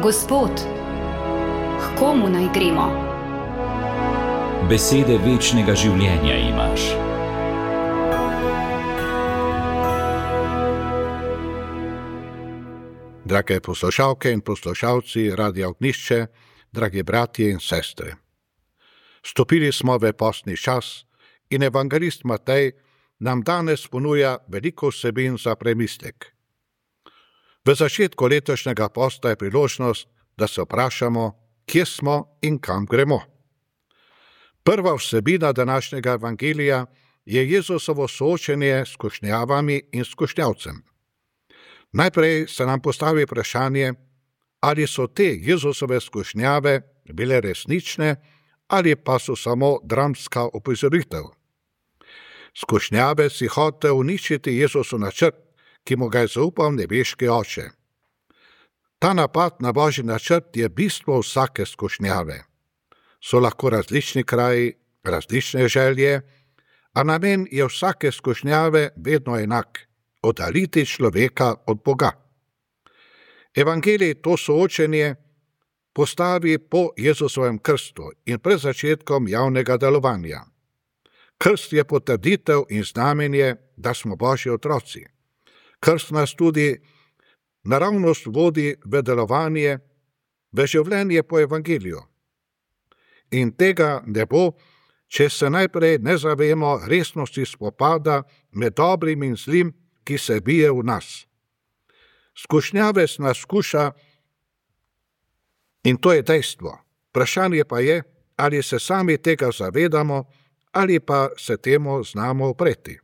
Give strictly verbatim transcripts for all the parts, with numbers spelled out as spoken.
Gospod, k komu naj gremo? Besede večnega življenja imaš. Drage poslušalke in poslušalci Radia Ognjišče, dragi bratje in sestre. Stopili smo v postni čas in evangelist Matej nam danes ponuja veliko vsebin za premislek. V začetku letošnjega posta je priložnost, da se vprašamo, kje smo in kam gremo. Prva vsebina današnjega evangelija je Jezusovo soočenje s skušnjavami in skušnjavcem. Najprej se nam postavi vprašanje, ali so te Jezusove skušnjave bile resnične ali pa so samo dramska opozoritev. Skušnjave si hotel uničiti Jezusov načrt, ki mu ga je zaupal nebeški Oče. Ta napad na Božji načrt je bistvo vsake skušnjave. So lahko različni kraji, različne želje, a namen je vsake skušnjave vedno enak: oddaljiti človeka od Boga. Evangelij to soočenje postavi po Jezusovem krstu in pred začetkom javnega delovanja. Krst je potrditev in znamenje, da smo Božji otroci. Krst nas tudi naravnost vodi v delovanje, v življenje po evangeliju. In tega ne bo, če se najprej ne zavemo resnosti spopada med dobrim in zlim, ki se bije v nas. Skušnjave nas skuša in to je dejstvo. Vprašanje pa je, ali se sami tega zavedamo ali pa se temu znamo upreti.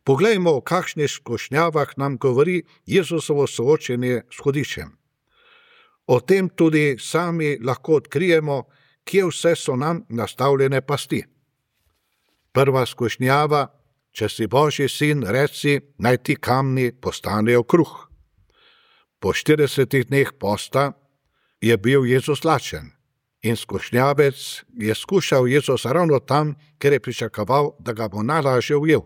Poglejmo, o kakšnih skušnjavah nam govori Jezusovo soočenje s hudičem. O tem tudi sami lahko odkrijemo, kje vse so nam nastavljene pasti. Prva skušnjava: če si Božji sin, reci, naj ti kamni postanejo kruh. Po štiridesetih dneh posta je bil Jezus lačen in skušnjavec je skušal Jezusa ravno tam, ker je pričakoval, da ga bo najlažje ujel.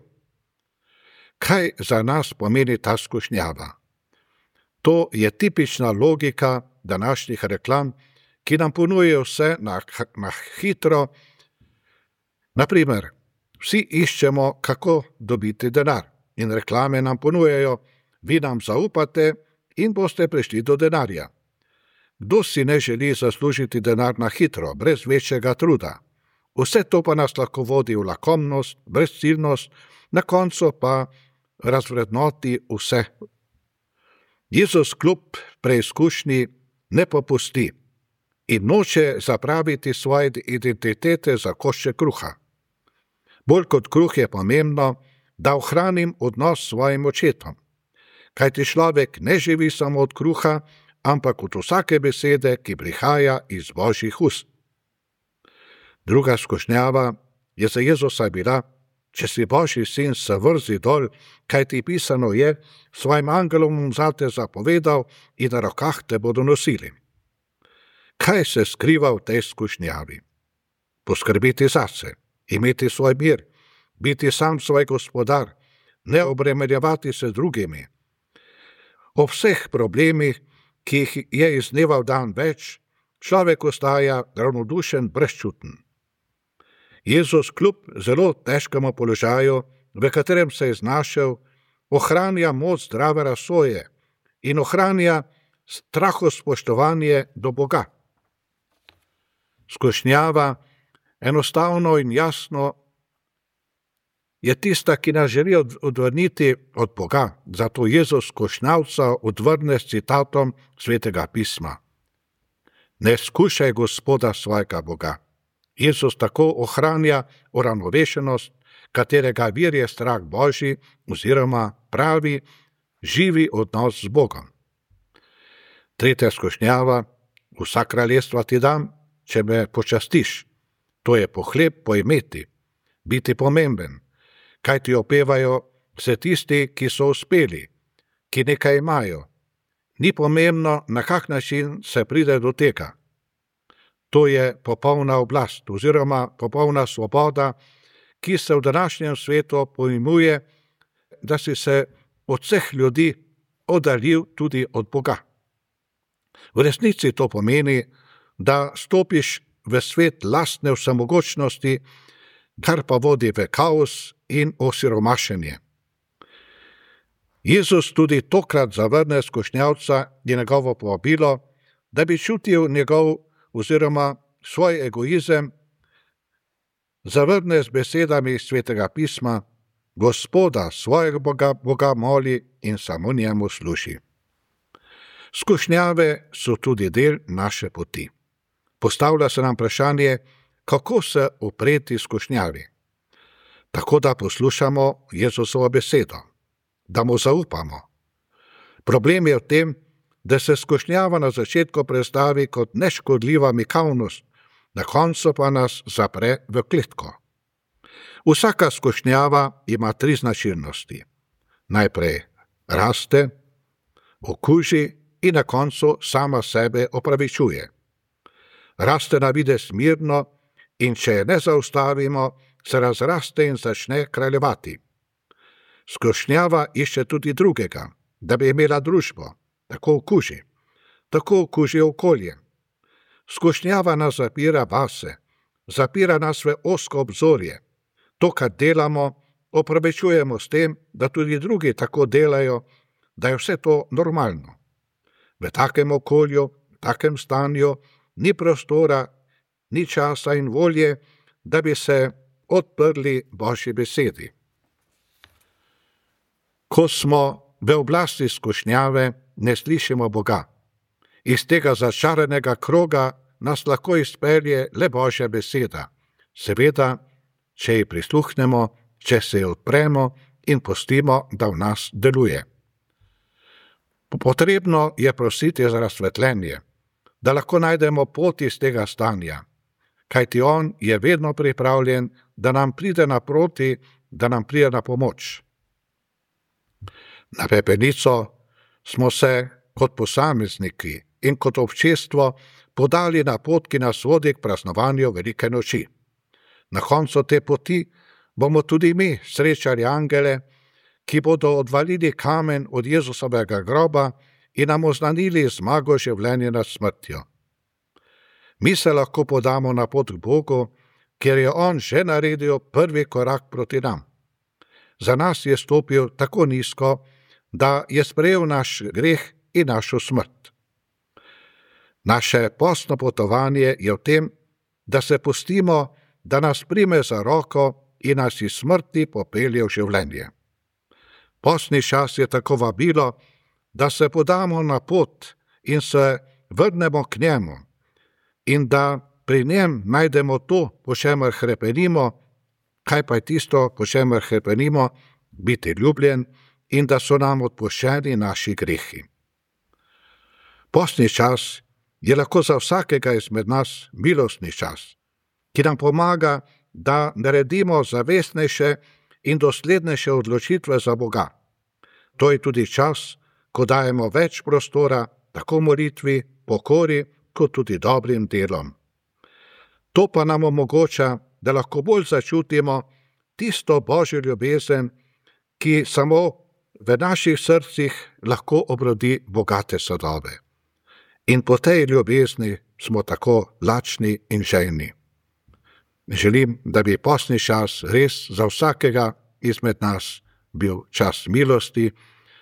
Kaj za nas pomeni ta skušnjava? To je tipična logika današnjih reklam, ki nam ponujajo vse na, na hitro. Naprimer, vsi iščemo, kako dobiti denar, in reklame nam ponujajo: vi nam zaupate in boste prišli do denarja. Kdo si ne želi zaslužiti denar na hitro, brez večjega truda? Vse to pa nas lahko vodi v lakomnost, brezciljnost, na koncu pa razvrednoti vse. Jezus kljub preizkušnji ne popusti in noče zapraviti svoje identitete za koščke kruha. Bolj kot kruh je pomembno, da ohranim odnos s svojim očetom. Kajti človek ne živi samo od kruha, ampak od vsake besede, ki prihaja iz Božjih ust. Druga skušnjava je za Jezusa bila: če si Božji sin, se vrzi dol, kajti pisano je, svojim angelom bom zate zapovedal in na rokah te bodo nosili. Kaj se skriva v tej skušnjavi? Poskrbiti zase, imeti svoj mir, biti sam svoj gospodar, ne obremenjevati se z drugimi. O vseh problemih, ki jih je iz dneva v dan več, človek ostaja ravnodušen, brezčuten. Jezus kljub zelo težkemu položaju, v katerem se je znašel, ohranja moč zdrave razsoje in ohranja strahospoštovanje do Boga. Skušnjava enostavno in jasno je tista, ki nas želi odvrniti od Boga, zato Jezus skušnjavca odvrne s citatom Svetega pisma: ne skušaj Gospoda svojega Boga. Jezus tako ohranja uravnovešenost, katerega vir je strah Božji oziroma pravi, živi odnos z Bogom. Tretja skušnjava: vsa kraljestva ti dam, če me počastiš. To je pohleb poimeti, biti pomemben, kaj ti opevajo vse tisti, ki so uspeli, ki nekaj imajo. Ni pomembno, na kak način se pride do tega. To je popolna oblast oziroma popolna svoboda, ki se v današnjem svetu pojmuje, da si se od vseh ljudi oddaljil tudi od Boga. V resnici to pomeni, da stopiš v svet lastne vsemogočnosti, kar pa vodi v kaos in osiromašenje. Jezus tudi tokrat zavrne skušnjavca in njegovo povabilo, da bi čutil njegov oziroma svoj egoizem, zavrne z besedami svetega pisma: Gospoda, svojega Boga, Boga moli in samo njemu služi. Skušnjave so tudi del naše poti. Postavlja se nam vprašanje, kako se upreti skušnjavi. Tako da poslušamo Jezusovo besedo, da mu zaupamo. Problem je v tem, da se skušnjava na začetku predstavi kot neškodljiva mikavnost, na koncu pa nas zapre v kletko. Vsaka skušnjava ima tri značilnosti. Najprej raste, okuži in na koncu sama sebe opravičuje. Raste na videz mirno in če je ne zaustavimo, se razraste in začne kraljevati. Skušnjava išče tudi drugega, da bi imela družbo, tako okuži, tako okuži okolje. Skušnjava nas zapira vase, zapira nas v ozko obzorje. To, kar delamo, opravičujemo s tem, da tudi drugi tako delajo, da je vse to normalno. V takem okolju, v takem stanju ni prostora, ni časa in volje, da bi se odprli Božji besedi. Ko smo v oblasti skušnjave, ne slišimo Boga. Iz tega začaranega kroga nas lahko izpelje le Božja beseda. Seveda, če ji prisluhnemo, če se jo odpremo in pustimo, da v nas deluje. Potrebno je prositi za razsvetljenje, da lahko najdemo pot iz tega stanja, kajti on je vedno pripravljen, da nam pride naproti, da nam pride na pomoč. Na pepelnico smo se kot posamezniki in kot občestvo podali na pot, ki nas vodi k praznovanju velike noči. Na koncu te poti bomo tudi mi srečali angele, ki bodo odvalili kamen od Jezusovega groba in nam oznanili zmago življenja nad smrtjo. Mi se lahko podamo na pot k Bogu, ker je on že naredil prvi korak proti nam. Za nas je stopil tako nizko, da je sprejel naš greh in našo smrt. Naše postno potovanje je v tem, da se pustimo, da nas prime za roko in nas iz smrti popelje v življenje. Postni čas je tako vabilo, da se podamo na pot in se vrnemo k njemu in da pri njem najdemo to, po čemer hrepenimo, kaj pa je tisto, po čemer hrepenimo, biti ljubljen in da so nam odpuščeni naši grehi. Postni čas je lahko za vsakega izmed nas milostni čas, ki nam pomaga, da naredimo zavestnejše in doslednejše odločitve za Boga. To je tudi čas, ko dajemo več prostora tako molitvi, pokori, kot tudi dobrim delom. To pa nam omogoča, da lahko bolj začutimo tisto Božjo ljubezen, ki samo v naših srcih lahko obrodi bogate sadove. In po tej ljubezni smo tako lačni in žejni. Želim, da bi postni čas res za vsakega izmed nas bil čas milosti,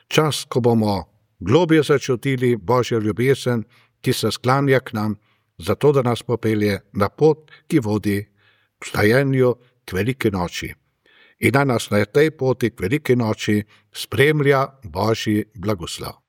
čas, ko bomo globje začutili Božjo ljubezen, ki se sklanja k nam, zato da nas popelje na pot, ki vodi k vstajenju k veliki noči. In naj nas na tej poti k veliki noči spremlja Božji blagoslov.